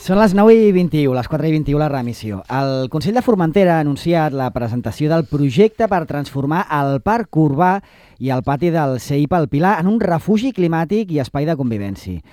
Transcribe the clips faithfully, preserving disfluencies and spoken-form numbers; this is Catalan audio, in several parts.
Són les nou i vint-i-u, les quatre i vint-i-u la reemissió. El Consell de Formentera ha anunciat la presentació del projecte per transformar el parc urbà i el pati del C I P al Pilar en un refugi climàtic i espai de convivència.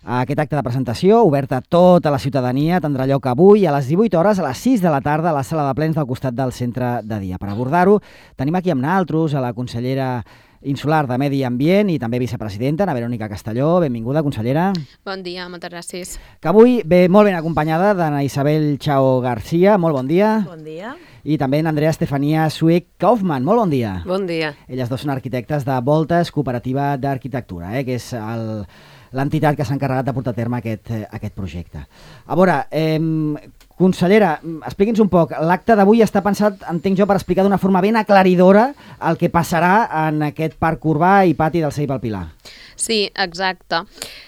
Aquest acte de presentació, obert a tota la ciutadania, tindrà lloc avui a les divuit hores a les sis de la tarda a la sala de plens del costat del centre de dia. Per abordar-ho, tenim aquí amb naltros a la consellera insular de Medi Ambient i també vicepresidenta, Ana Verònica Castelló. Benvinguda, consellera. Bon dia, moltes gràcies. Que avui ve molt ben acompanyada d'Ana Isabel Chao García. Molt bon dia. Bon dia. I també d'Andrea Estefania Suec-Kaufmann. Molt bon dia. Bon dia. Elles dos són arquitectes de Voltes Cooperativa d'Arquitectura, eh, que és el... l'entitat que s'ha encarregat de portar a terme aquest, aquest projecte. A veure, eh, consellera, expliqui'ns un poc. L'acte d'avui està pensat, entenc jo, per explicar d'una forma ben aclaridora el que passarà en aquest parc urbà i pati del C I P al Pilar. Sí, exacte.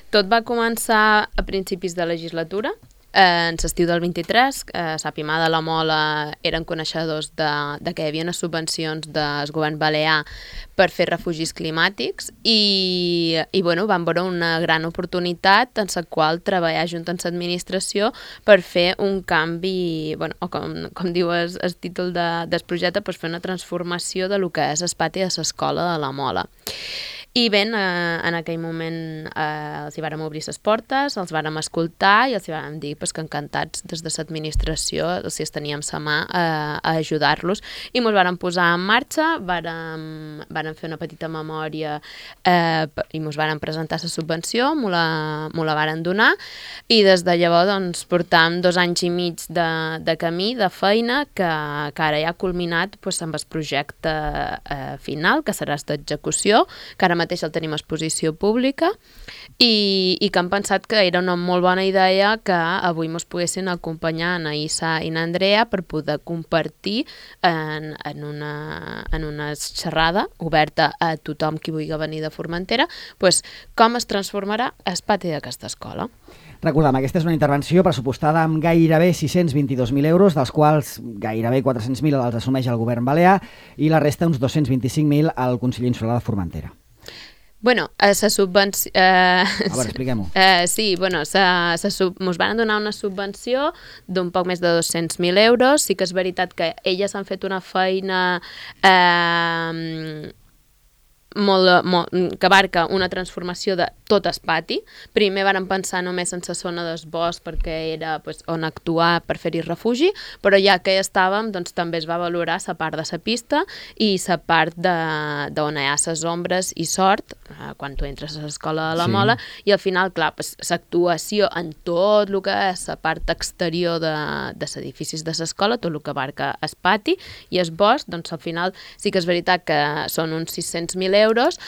Tot va començar a principis de legislatura. En l'estiu del vint-i-tres, eh, Sapimà de la Mola eren coneixedors de, de que hi havia unes subvencions del govern balear per fer refugis climàtics i, i bueno, van veure una gran oportunitat en la qual treballar junt amb l'administració per fer un canvi, bueno, o com, com diu el, el títol de, del projecte, pues fer una transformació de lo que és el pati de l'escola de la Mola. I bé, eh, en aquell moment eh, els hi vàrem obrir les portes, els vàrem escoltar i els hi vàrem dir pues, que encantats des de l'administració si els teníem la mà eh, a ajudar-los. I ens vàrem posar en marxa, vàrem, vàrem fer una petita memòria eh, i ens vàrem presentar la subvenció, m'ho la, la vàrem donar i des de llavors doncs, portam dos anys i mig de, de camí, de feina, que, que ara ja ha culminat pues, amb el projecte eh, final, que serà d'execució, que ara mateix el tenim a exposició pública i, i que han pensat que era una molt bona idea que avui ens poguessin acompanyar na Issa i na Andrea per poder compartir en, en, una, en una xerrada oberta a tothom qui vulgui venir de Formentera pues, com es transformarà el pati d'aquesta escola. Recordem, aquesta és una intervenció pressupostada amb gairebé sis-cents vint-i-dos mil euros, dels quals gairebé quatre-cents mil els assumeix el govern balear i la resta, uns dos-cents vint-i-cinc mil, al Consell Insular de Formentera. Bueno, a la subvenció... Eh, a veure, expliquem-ho. Eh, sí, bueno, ens van donar una subvenció d'un poc més de dos-cents mil euros. Sí que és veritat que elles han fet una feina eh, molt, molt, que abarca una transformació de tot el pati. Primer varen pensar només en la zona del bosc perquè era pues, on actuar per fer-hi refugi, però ja que hi estàvem doncs, també es va valorar la part de la pista i la part d'on hi ha les ombres i sort, eh, quan tu entres a l'escola de la sí. Mola, i al final, clar, l'actuació en tot el que és la part exterior de, de l'edificis de l'escola, tot el que abarca el pati i el bosc, doncs al final sí que és veritat que són uns sis-cents mil euros,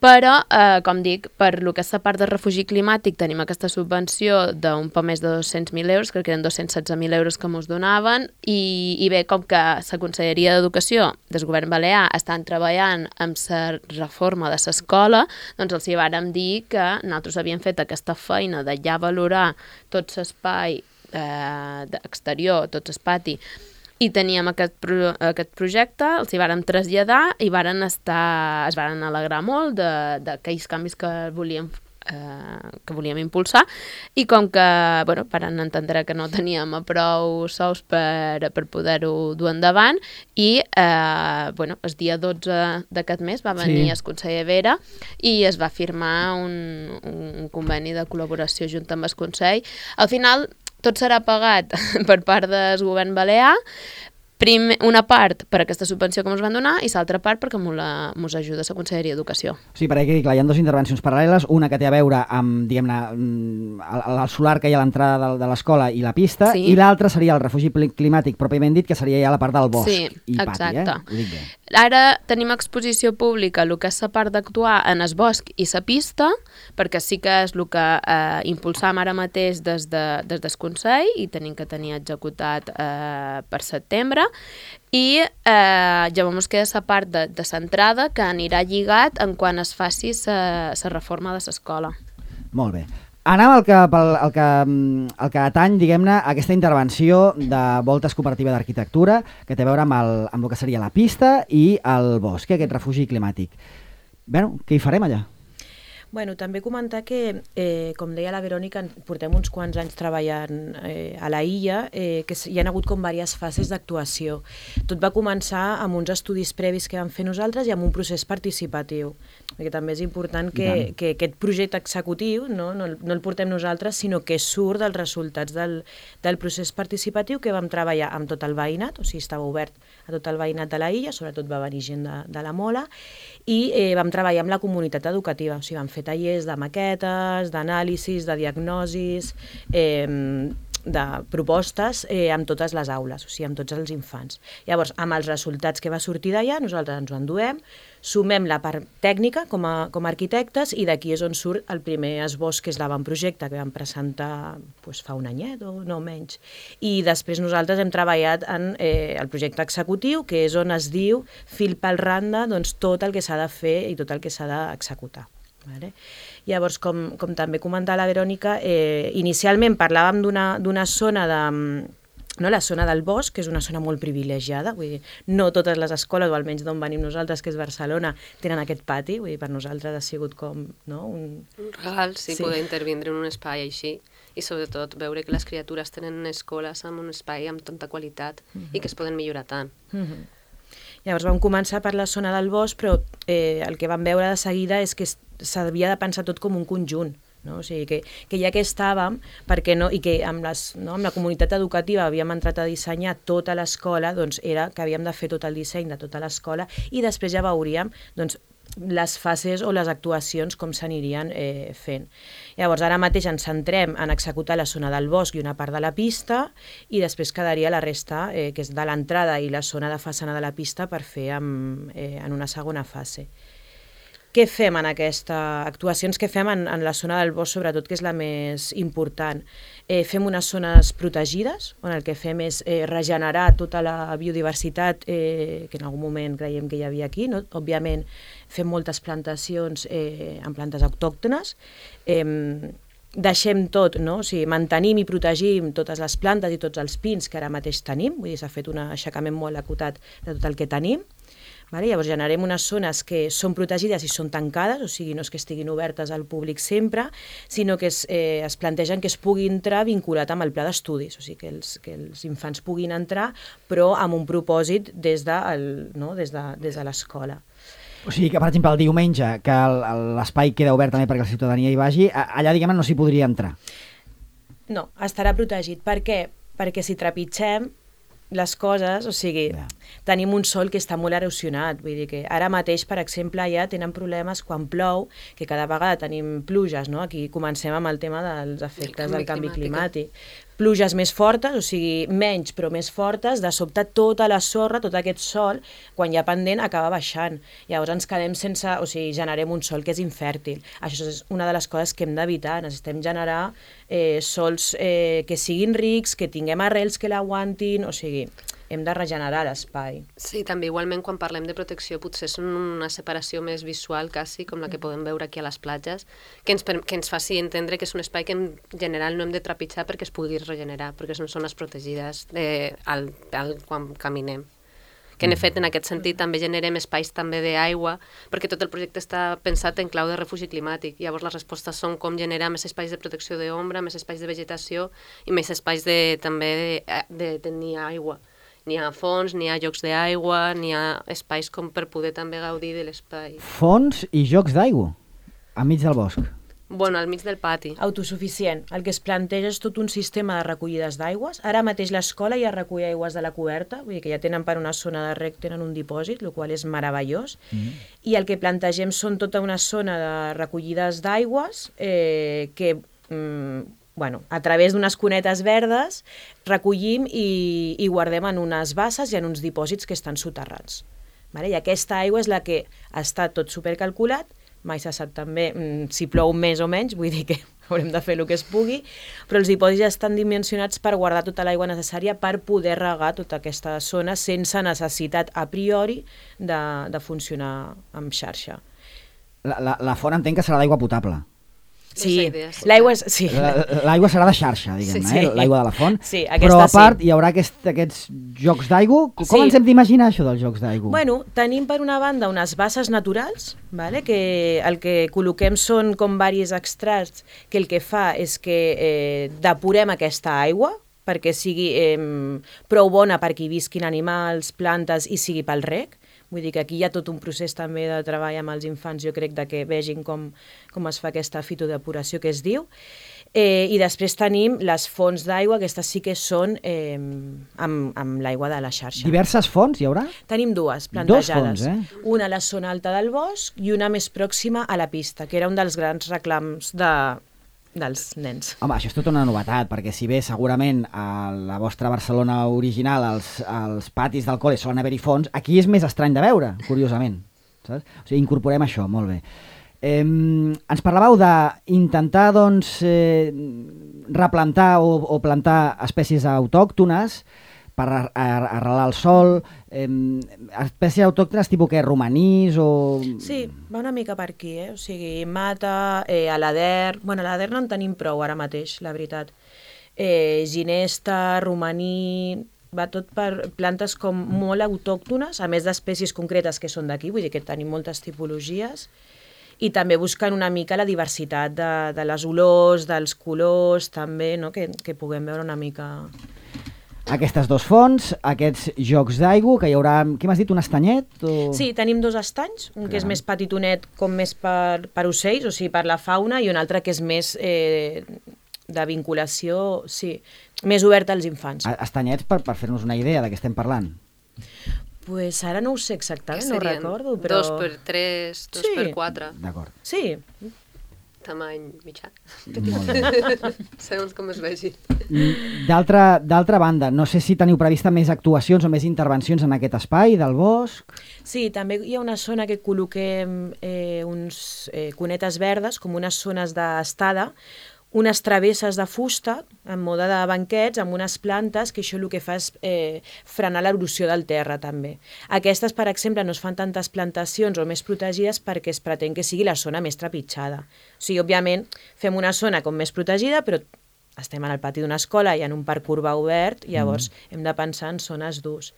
però, eh, com dic, per lo que és la part de refugi climàtic tenim aquesta subvenció d'un poc més de dos-cents mil euros, crec que eren dos-cents setze mil euros que ens donaven, i, i bé, com que la Conselleria d'Educació del govern balear estan treballant amb la reforma de l'escola, doncs els hi vàrem dir que nosaltres havíem fet aquesta feina de ja valorar tot l'espai eh, exterior, tot el pati, i teníem aquest, pro, aquest projecte, els hi vàrem traslladar i varen estar, es varen alegrar molt d'aquells canvis que volíem, eh, que volíem impulsar i com que bueno, varen entendre que no teníem prou sous per, per poder-ho dur endavant i eh, bueno, el dia dotze d'aquest mes va venir sí. el conseller Vera i es va firmar un, un conveni de col·laboració junt amb el Consell. Al final tot serà pagat per part del govern balear, Primer, una part per aquesta subvenció que ens van donar i l'altra part perquè ens ajuda la Conselleria d'Educació. Sí, perquè clar, hi ha dues intervencions paral·leles, una que té a veure amb, diguem-ne, el, el solar que hi ha a l'entrada de, de l'escola i la pista, sí. I l'altra seria el refugi climàtic pròpiament dit, que seria ja la part del bosc sí, i pati, exacte. Eh? Ho dic bé. Ara tenim exposició pública el que és la part d'actuar en el bosc i la pista, perquè sí que és el que eh, impulsam ara mateix des, de, des del Consell i tenim que tenir executat eh, per setembre, i eh, llavors queda la part de, de l'entrada que anirà lligat en quan es faci la reforma de l'escola. Molt bé. Anem al que, al que, al que atany, diguem-ne, aquesta intervenció de Voltes Cooperativa d'Arquitectura, que té a veure amb el, amb el que seria la pista i el bosc, aquest refugi climàtic. Bé, què hi farem allà? Bueno, també comentar que, eh, com deia la Verònica, portem uns quants anys treballant eh, a la illa, eh, que hi ha hagut com diverses fases d'actuació. Tot va començar amb uns estudis previs que vam fer nosaltres i amb un procés participatiu, perquè també és important que, que aquest projecte executiu no, no, no el portem nosaltres, sinó que surt dels resultats del, del procés participatiu que vam treballar amb tot el veïnat, o sigui, estava obert a tot el veïnat de la illa, sobretot va venir gent de, de la Mola, i eh, vam treballar amb la comunitat educativa, o sigui, vam fer tallers de maquetes, d'anàlisis, de diagnosis, eh, de propostes eh, amb totes les aules, o sigui, amb tots els infants. Llavors, amb els resultats que va sortir d'allà, nosaltres ens ho enduem, sumem la part tècnica com a, com a arquitectes i d'aquí és on surt el primer esbós, que és l'avantprojecte que vam presentar doncs, fa un anyet o no menys. I després nosaltres hem treballat en eh, el projecte executiu, que és on es diu fil per randa doncs, tot el que s'ha de fer i tot el que s'ha d'executar. Vale? Llavors, com, com també comentava la Verònica, eh, inicialment parlàvem d'una zona de... No, la zona del bosc, que és una zona molt privilegiada, vull dir, no totes les escoles, o almenys d'on venim nosaltres, que és Barcelona, tenen aquest pati, vull dir, per nosaltres ha sigut com no, un... un regal, sí, sí, poder intervindre en un espai així, i sobretot veure que les criatures tenen escoles amb un espai amb tanta qualitat uh-huh. i que es poden millorar tant. Uh-huh. Llavors vam començar per la zona del bosc, però eh, el que vam veure de seguida és que s'havia de pensar tot com un conjunt, no? O sigui, que, que ja que estàvem, perquè no, i que amb, les, no, amb la comunitat educativa havíem entrat a dissenyar tota l'escola, doncs era que havíem de fer tot el disseny de tota l'escola i després ja veuríem doncs, les fases o les actuacions com s'anirien eh, fent. Llavors, ara mateix ens centrem en executar la zona del bosc i una part de la pista i després quedaria la resta, eh, que és de l'entrada i la zona de façana de la pista per fer amb, eh, en una segona fase. Què fem en aquesta actuacions que fem en, en la zona del bosc, sobretot, que és la més important? Eh, fem unes zones protegides, on el que fem és eh, regenerar tota la biodiversitat eh, que en algun moment creiem que hi havia aquí, no? Òbviament fem moltes plantacions eh, amb plantes autòctones, eh, deixem tot, no? O sigui, mantenim i protegim totes les plantes i tots els pins que ara mateix tenim, vull dir, s'ha fet un aixecament molt acotat de tot el que tenim. Vale? Llavors generem unes zones que són protegides i són tancades, o sigui, no és que estiguin obertes al públic sempre, sinó que es, eh, es plantegen que es pugui entrar vinculat amb el pla d'estudis, o sigui, que els, que els infants puguin entrar, però amb un propòsit des de, el, no? des de, des de l'escola. O sigui que, per exemple, el diumenge, que l'espai queda obert també perquè la ciutadania hi vagi, allà, diguem-ne, no s'hi podria entrar. No, estarà protegit. Per què? Perquè si trepitgem les coses, o sigui, yeah. tenim un sòl que està molt erosionat, vull dir que ara mateix, per exemple, ja tenen problemes quan plou, que cada vegada tenim pluges, no? Aquí comencem amb el tema dels efectes el del canvi climàtic. climàtic. Pluges més fortes, o sigui, menys però més fortes, de sobte tota la sorra, tot aquest sòl, quan hi ha pendent, acaba baixant. Llavors ens quedem sense, o sigui, generem un sòl que és infèrtil. Això és una de les coses que hem d'evitar. Necessitem generar eh, sòls eh, que siguin rics, que tinguem arrels que l'aguantin, o sigui, hem de regenerar l'espai. Sí, també igualment quan parlem de protecció potser són una separació més visual quasi, com la que podem veure aquí a les platges, que ens, que ens faci entendre que és un espai que en general no hem de trepitjar perquè es pugui regenerar, perquè són zones protegides eh, al, al, quan caminem. Que en efecte, en aquest sentit, també generem espais també d'aigua, perquè tot el projecte està pensat en clau de refugi climàtic. Llavors les respostes són com generar més espais de protecció d'ombra, més espais de vegetació i més espais de, també de, de tenir aigua. N'hi ha fonts, n'hi ha jocs d'aigua, n'hi ha espais com per poder també gaudir de l'espai. Fonts i jocs d'aigua, enmig del bosc. Bueno, al mig del pati. Autosuficient. El que es planteja és tot un sistema de recollides d'aigües. Ara mateix l'escola ja recull aigües de la coberta, vull dir que ja tenen per una zona de rec, tenen un dipòsit, el qual és meravellós. Mm. I el que plantegem són tota una zona de recollides d'aigües eh, que... Mm, bueno, a través d'unes cunetes verdes recollim i, i guardem en unes basses i en uns dipòsits que estan soterrats. Vale? I aquesta aigua és la que està tot supercalculat, mai se sap també mm, si plou més o menys, vull dir que haurem de fer el que es pugui, però els dipòsits ja estan dimensionats per guardar tota l'aigua necessària per poder regar tota aquesta zona sense necessitat a priori de, de funcionar amb xarxa. La, la, la font entenc que serà d'aigua potable. Sí, idea, sí. l'aigua és... Sí. L'aigua serà de xarxa, diguem-ne, Sí, sí. eh? L'aigua de la font. Sí, Però aquesta a part sí. hi haurà aquest, aquests jocs d'aigua. Com Sí. ens hem d'imaginar això dels jocs d'aigua? Bueno, tenim per una banda unes basses naturals, vale? Que el que col·loquem són com varis extracts que el que fa és que eh, depurem aquesta aigua perquè sigui eh, prou bona perquè hi visquin animals, plantes i sigui pel reg. Vull dir que aquí hi ha tot un procés també de treball amb els infants, jo crec, de que vegin com, com es fa aquesta fitodepuració que es diu. Eh, I després tenim les fonts d'aigua, aquestes sí que són eh, amb, amb l'aigua de la xarxa. Diverses fonts hi haurà? Tenim dues plantejades. Dos fonts, eh? Una a la zona alta del bosc i una més pròxima a la pista, que era un dels grans reclams de, dels nens. Home, això és tota una novetat, perquè si bé segurament a la vostra Barcelona original als, als patis del col·le solen haver-hi fonts, aquí és més estrany de veure, curiosament. Saps? O sigui, incorporem això, molt bé. Eh, ens parlàveu d'intentar doncs, eh, replantar o, o plantar espècies autòctones per arrelar el sol, eh, espècies autòctones tipus que romanís o... Sí, va una mica per aquí, eh? O sigui, mata, eh, alader... Bueno, alader no en tenim prou ara mateix, la veritat. Eh, ginesta, romaní... Va tot per plantes com molt autòctones, a més d'espècies concretes que són d'aquí, vull dir que tenim moltes tipologies, i també buscant una mica la diversitat de, de les olors, dels colors, també, no? que, que puguem veure una mica... Aquestes dos fonts, aquests jocs d'aigua, que hi haurà... Què m'has dit, un estanyet? O... Sí, tenim dos estanys, un Clar. que és més petitonet com més per, per ocells, o sigui, per la fauna, i un altre que és més eh, de vinculació, sí, més obert als infants. Estanyets per, per fer-nos una idea de què estem parlant. Pues ara no ho sé exactament, Que no ho serien recordo, però... Dos per tres, dos Sí. per quatre, D'acord. Sí, tamany mitjà. Molt bé. Segons com es vegi. D'altra d'altra banda, no sé si teniu prevista més actuacions o més intervencions en aquest espai del bosc. sí, també hi ha una zona que col·loquem eh, uns eh, cunetes verdes, com unes zones d'estada, unes travesses de fusta, en mode de banquets, amb unes plantes, que això el que fa és eh, frenar l'erosió del terra, també. Aquestes, per exemple, no es fan tantes plantacions o més protegides perquè es pretén que sigui la zona més trepitjada. O sigui, òbviament, fem una zona com més protegida, però estem en el pati d'una escola i en un parc urbà obert, llavors mm. hem de pensar en zones d'ús.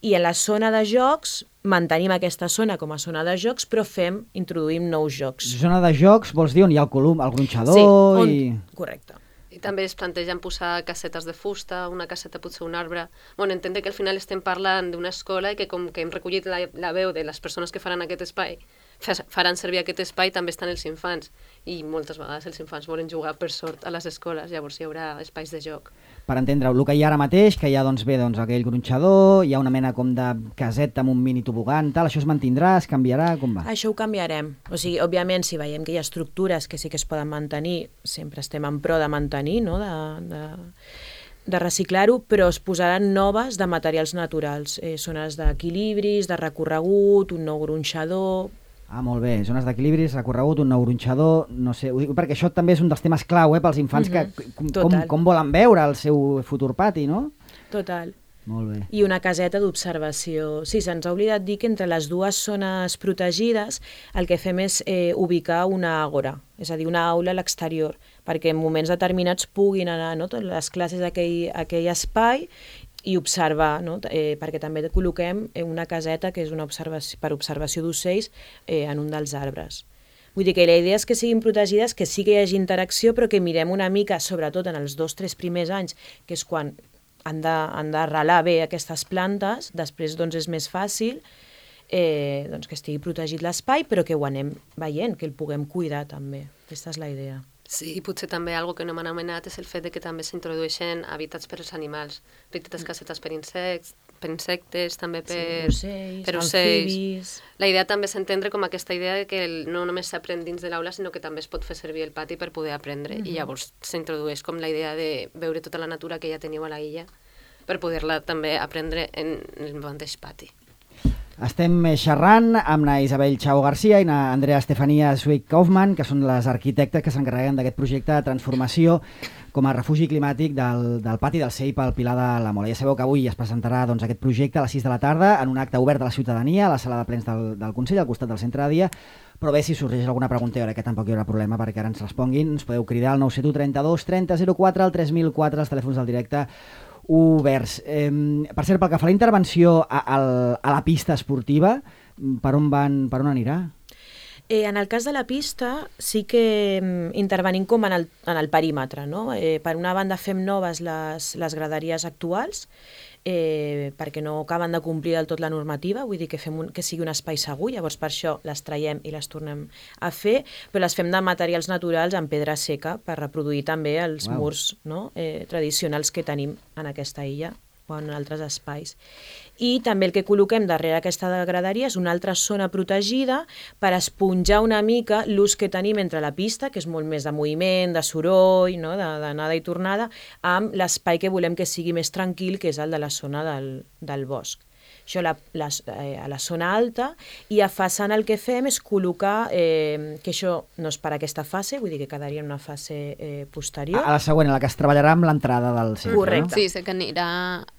I en la zona de jocs, mantenim aquesta zona com a zona de jocs, però fem, introduïm nous jocs. Zona de jocs, vols dir on hi ha el colum, el gronxador Sí, on... i... correcte. I també es plantegen posar casetes de fusta, una caseta potser un arbre... Bueno, entendre que al final estem parlant d'una escola i que com que hem recollit la, la veu de les persones que faran aquest espai, faran servir aquest espai, també estan els infants. I moltes vegades els infants volen jugar per sort a les escoles, llavors hi haurà espais de joc. Per entendre-ho, el que hi ha ara mateix, que hi ha doncs, bé, doncs, aquell gronxador, hi ha una mena com de caseta amb un mini tobogan, tal, això es mantindrà, es canviarà, com va? Això ho canviarem. O sigui, òbviament, si veiem que hi ha estructures que sí que es poden mantenir, sempre estem en pro de mantenir, no?, de, de, de reciclar-ho, però es posaran noves de materials naturals. Eh, zones d'equilibris, de recorregut, un nou gronxador... Ah, molt bé, zones d'equilibris, recorregut, un nou gronxador, no sé, ho dic perquè això també és un dels temes clau, eh, pels infants, Mhm, que com, com, total. com volen veure el seu futur pati, no? Total. Molt bé. I una caseta d'observació. Sí, se'ns ha oblidat dir que entre les dues zones protegides el que fem és eh, ubicar una àgora, és a dir, una aula a l'exterior, perquè en moments determinats puguin anar, no?, totes les classes a aquell, a aquell espai i observar, no?, eh, perquè també col·loquem una caseta que és una observació, per observació d'ocells eh, en un dels arbres. Vull dir que la idea és que siguin protegides, que sí que hi hagi interacció, però que mirem una mica, sobretot en els dos o tres primers anys, que és quan han d'arrelar bé aquestes plantes, després doncs és més fàcil eh, doncs que estigui protegit l'espai, però que ho anem veient, que el puguem cuidar també. Aquesta és la idea. Sí, i potser també algo que no m'han anomenat és el fet de que també s'introdueixen hàbitats per als animals, petites casetes per insectes, per insectes, també per, sí, ocells, per ocells. amfibis... La idea també és entendre com aquesta idea de que el, no només s'aprèn dins de l'aula, sinó que també es pot fer servir el pati per poder aprendre, mm-hmm. i llavors s'introdueix com la idea de veure tota la natura que ja teniu a la illa per poder-la també aprendre en el mateix pati. Estem xerrant amb na Isabel Chao García i na Andrea Estefania Swick-Kaufmann, que són les arquitectes que s'encarreguen d'aquest projecte de transformació com a refugi climàtic del, del pati del C E I P al Pilar de la Mola. Ja sabeu que avui es presentarà doncs, aquest projecte a les sis de la tarda en un acte obert a la ciutadania, a la sala de plens del, del Consell, al costat del centre de dia, però bé, si sorgeix alguna pregunta, jo crec que tampoc hi haurà problema perquè ara ens responguin. Ens podeu cridar al nou set u trenta-dos trenta zero quatre, al tres mil quatre, els telèfons del directe oberts. Eh, per cert, pel que fa a la intervenció a, a, a la pista esportiva, per on, van, per on anirà? Eh, en el cas de la pista sí que mm, intervenim com en el, en el perímetre, no? Eh, per una banda fem noves les, les graderies actuals, eh, perquè no acaben de complir del tot la normativa, vull dir que fem un, que sigui un espai segur, llavors per això les traiem i les tornem a fer, però les fem de materials naturals en pedra seca per reproduir també els Uau. murs, no? eh, tradicionals que tenim en aquesta illa o en altres espais. I també el que col·loquem darrere aquesta graderia és una altra zona protegida per esponjar una mica l'ús que tenim entre la pista, que és molt més de moviment, de soroll, no? d'anada i tornada, amb l'espai que volem que sigui més tranquil, que és el de la zona del, del bosc. Això la, la, eh, a la zona alta, i a façana el que fem és col·locar, eh, que això no és per aquesta fase, vull dir que quedaria en una fase eh, posterior. A, a la següent, a la que es treballarà amb l'entrada del centre. Correcte. No? Sí, sé que anirà...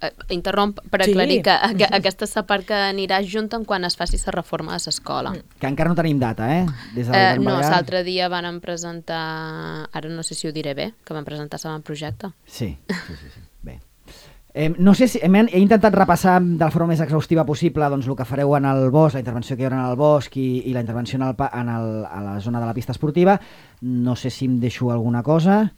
Eh, interromp per Sí. aclarir que, que aquesta és la part que anirà junt en quan es faci la reforma de l'escola. Mm. Que encara no tenim data, eh? Des de Eh, no, Balear. l'altre dia van presentar... Ara no sé si ho diré bé, que van presentar l'avantprojecte. Sí, sí, sí, sí. Bé. Eh, no sé si... He, he intentat repassar de la forma més exhaustiva possible doncs, el que fareu en el bosc, la intervenció que hi haurà en el bosc i, i la intervenció en el, pa- en el, a la zona de la pista esportiva. No sé si em deixo alguna cosa.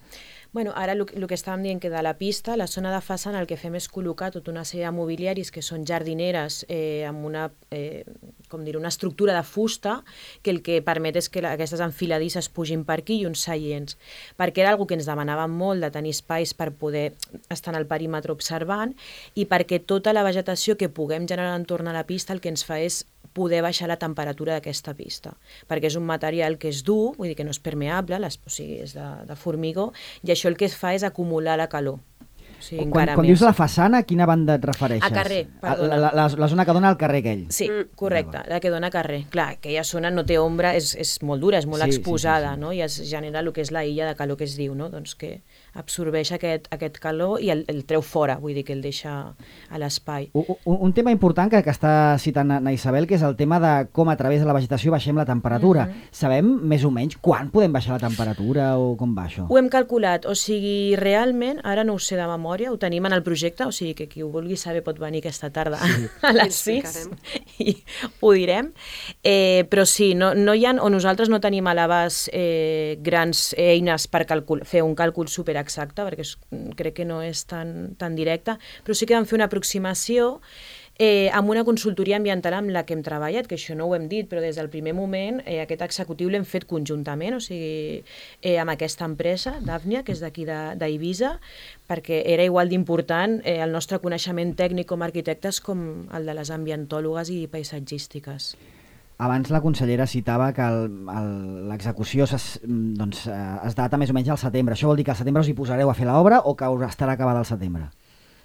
Bueno, ara el, el que estàvem dient que de la pista, la zona de façana el que fem és col·locar tota una sèrie de mobiliaris que són jardineres eh, amb una, eh, com dir, una estructura de fusta que el que permet és que la, aquestes enfiladisses pugin per aquí i uns seients, perquè era algo que ens demanàvem molt de tenir espais per poder estar en el perímetre observant i perquè tota la vegetació que puguem generar entorn a la pista el que ens fa és poder baixar la temperatura d'aquesta pista, perquè és un material que és dur, vull dir que no és permeable, les, o sigui, és de, de formigó, i això el que es fa és acumular la calor. O sigui, Quan, quan dius la façana, a quina banda et refereixes? A carrer, perdona. La, la, la zona que dona al carrer aquell. Sí, Mm. correcte, la que dona carrer. Clar, aquella zona no té ombra, és, és molt dura, és molt Sí, sí, exposada, sí, sí. no? I es genera el que és la illa de calor que es diu, no? Doncs que absorbeix aquest, aquest calor i el, el treu fora, vull dir que el deixa a l'espai. Un, un, un tema important que, que està citant na Isabel, que és el tema de com a través de la vegetació baixem la temperatura. Mhm. Sabem més o menys quan podem baixar la temperatura o com va això? Ho hem calculat, o sigui, realment, ara no ho sé de memòria, ho tenim en el projecte, o sigui que qui ho vulgui saber pot venir aquesta tarda sí. a les sis i ho direm. Eh, però sí, no, no hi ha, o nosaltres no tenim a l'abast eh, grans eines per calcul, fer un càlcul superexacte, perquè és, crec que no és tan, tan directe, però sí que vam fer una aproximació Eh, amb una consultoria ambiental amb la que hem treballat, que això no ho hem dit, però des del primer moment eh, aquest executiu l'hem fet conjuntament, o sigui, eh, amb aquesta empresa, Dàfnia, que és d'aquí d'Eivissa, perquè era igual d'important eh, el nostre coneixement tècnic com a arquitectes com el de les ambientòlogues i paisatgístiques. Abans la consellera citava que l'execució doncs, es data més o menys al setembre. Això vol dir que al setembre us hi posareu a fer l'obra o que estarà acabada al setembre?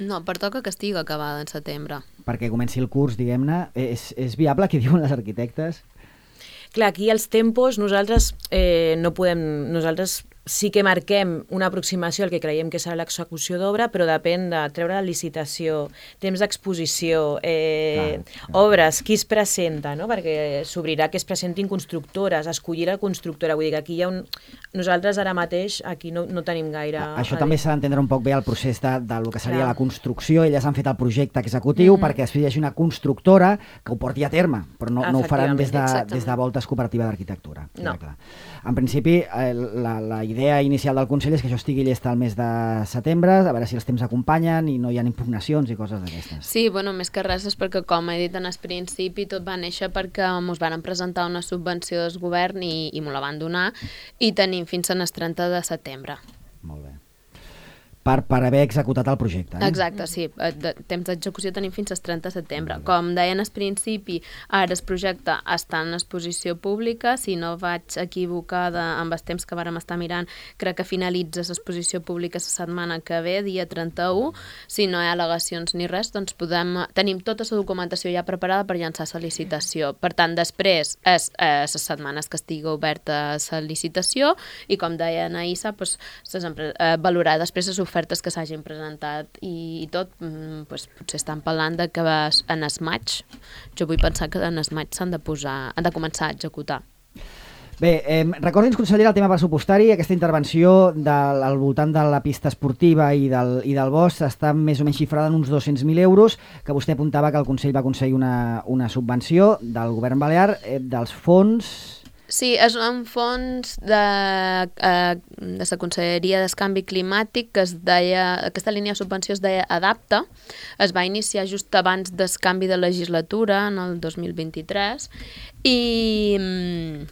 No, pertoca que estigui acabada en setembre. Perquè comenci el curs, diguem-ne. És, és viable, que diuen les arquitectes? Clar, aquí els tempos nosaltres eh, no podem... Nosaltres sí que marquem una aproximació al que creiem que serà l'execució d'obra, però depèn de treure la licitació, temps d'exposició, eh, clar, clar. obres, qui es presenta, no? Perquè s'obrirà que es presentin constructores, escollir la constructora, vull dir que aquí hi ha un... Nosaltres ara mateix aquí no, no tenim gaire... Això també s'ha d'entendre un poc bé el procés de, del que seria Clar. la construcció. Elles han fet el projecte executiu Mhm. perquè després hi hagi una constructora que ho porti a terme, però no, no ho faran des de, Efectivament, des de Voltes Cooperativa d'Arquitectura. No. Clar. En principi, eh, la, la idea inicial del Consell és que això estigui llest al mes de setembre, a veure si els temps acompanyen i no hi ha impugnacions i coses d'aquestes. Sí, bueno, més que res és perquè, com he dit en el principi, tot va néixer perquè ens van presentar una subvenció del govern i, i m'ho la van donar i tenim fins al trenta de setembre. Molt bé. per, per haver executat el projecte. Eh? Exacte, sí. De temps d'execució tenim fins al trenta de setembre. Com deien al principi, ara el projecte està en exposició pública. Si no vaig equivocada amb els temps que vàrem estar mirant, crec que finalitza l'exposició pública la setmana que ve, dia trenta-u. Si no hi ha al·legacions ni res, doncs podem... Tenim tota la documentació ja preparada per llançar la licitació. Per tant, després és eh, les setmanes que estigui oberta la licitació i, com deia Anaïssa, doncs, eh, valorar després les ofertes que s'hagin presentat i, i tot, doncs, potser estan parlant de que en el maig, jo vull pensar que en el maig s'han de posar, han de començar a executar. Bé, eh, recordi'ns, consellera, el tema pressupostari. Aquesta intervenció del, al voltant de la pista esportiva i del, i del bosc està més o menys xifrada en uns dos-cents mil euros, que vostè apuntava que el Consell va aconseguir una, una subvenció del govern balear, eh, dels fons... Sí, és un fons de, eh, de la Conselleria del Canvi Climàtic que es deia, aquesta línia de subvenció es deia Adapta. Es va iniciar just abans del canvi de legislatura, en el dos mil vint-i-tres, i...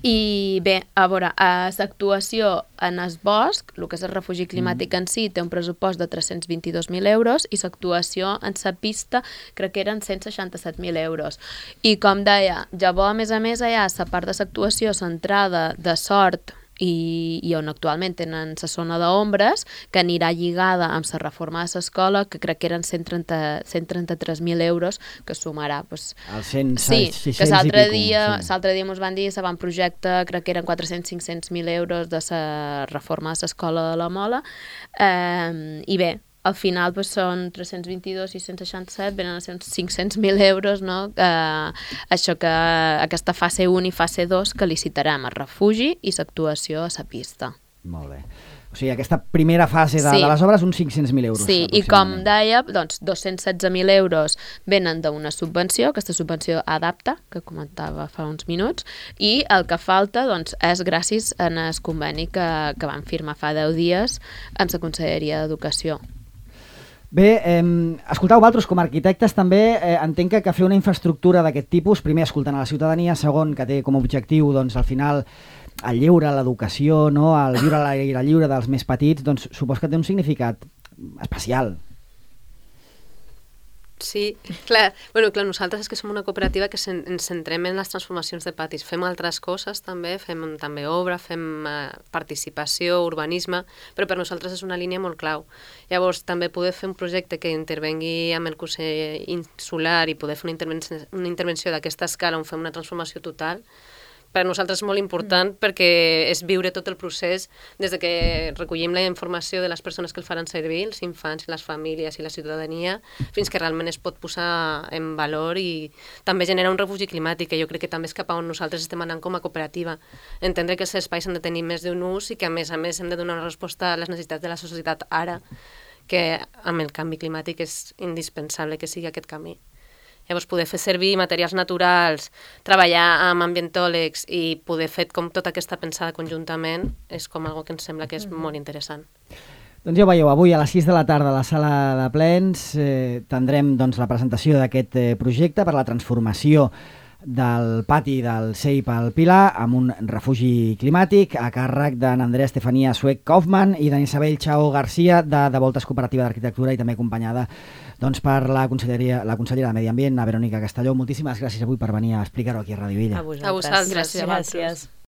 I bé, a veure, l'actuació en el bosc, el que és el refugi climàtic en si, té un pressupost de tres-cents vint-i-dos mil euros i l'actuació en la pista crec que eren cent seixanta-set mil euros. I com deia, llavors a més a més hi ha la part de l'actuació centrada de sort i, i on actualment tenen la zona d'ombres, que anirà lligada amb la reforma de l'escola, que crec que eren cent trenta-tres mil euros, que sumarà... Pues, el cent, sí, sis-cents que l'altre i pico, dia, sí. l'altre dia mos van dir que van projecte, crec que eren quatre-cents a cinc-cents mil euros de la reforma de l'escola de la Mola, eh, i bé, al final pues, són tres-cents vint-i-dos i cent seixanta-set, venen a ser uns cinc-cents mil euros, no? Eh, això que aquesta fase un i fase dos que licitarem el refugi i l'actuació a la pista. Molt bé. O sigui, aquesta primera fase de, sí. de les obres, uns cinc-cents mil euros. Sí, i com deia, doncs, dos-cents setze mil euros venen d'una subvenció, aquesta subvenció Adapta, que comentava fa uns minuts, i el que falta doncs, és gràcies al conveni que, que van firmar fa deu dies amb la Conselleria d'Educació. Bé, eh, escoltau, vosaltres com a arquitectes també eh, entenc que, que fer una infraestructura d'aquest tipus, primer escoltant a la ciutadania, segon que té com a objectiu doncs, al final el lleure, l'educació, no? El viure a l'aire lliure dels més petits, doncs supos que té un significat especial. Sí, clar, bueno, clar, nosaltres és que som una cooperativa que ens centrem en les transformacions de patis. Fem altres coses també, fem també obra, fem eh, participació, urbanisme, però per nosaltres és una línia molt clau. Llavors, també poder fer un projecte que intervengui amb el Consell Insular i poder fer una intervenció, una intervenció d'aquesta escala on fem una transformació total, per a nosaltres és molt important perquè és viure tot el procés des de que recollim la informació de les persones que el faran servir, els infants, les famílies i la ciutadania, fins que realment es pot posar en valor i també generar un refugi climàtic, que jo crec que també és cap a on nosaltres estem anant com a cooperativa. Entendre que els espais han de tenir més d'un ús i que a més a més hem de donar una resposta a les necessitats de la societat ara, que amb el canvi climàtic és indispensable que sigui aquest camí. Llavors, poder fer servir materials naturals, treballar amb ambientòlegs i poder fer com tota aquesta pensada conjuntament és com algo que ens sembla que és molt interessant. Doncs ja ho veieu, avui a les sis de la tarda a la sala de plens eh, tindrem doncs, la presentació d'aquest eh, projecte per la transformació del pati del C E I P al Pilar amb un refugi climàtic a càrrec d'en Andrea Estefania Suec-Kaufmann i d'en Isabel Chao García de, de Voltes Cooperativa d'Arquitectura i també acompanyada doncs, per la conselleria, la consellera de Medi Ambient, la Verònica Castelló. Moltíssimes gràcies avui per venir a explicar-ho aquí a Ràdio Illa. A vosaltres. A vosaltres. Gràcies. Gràcies.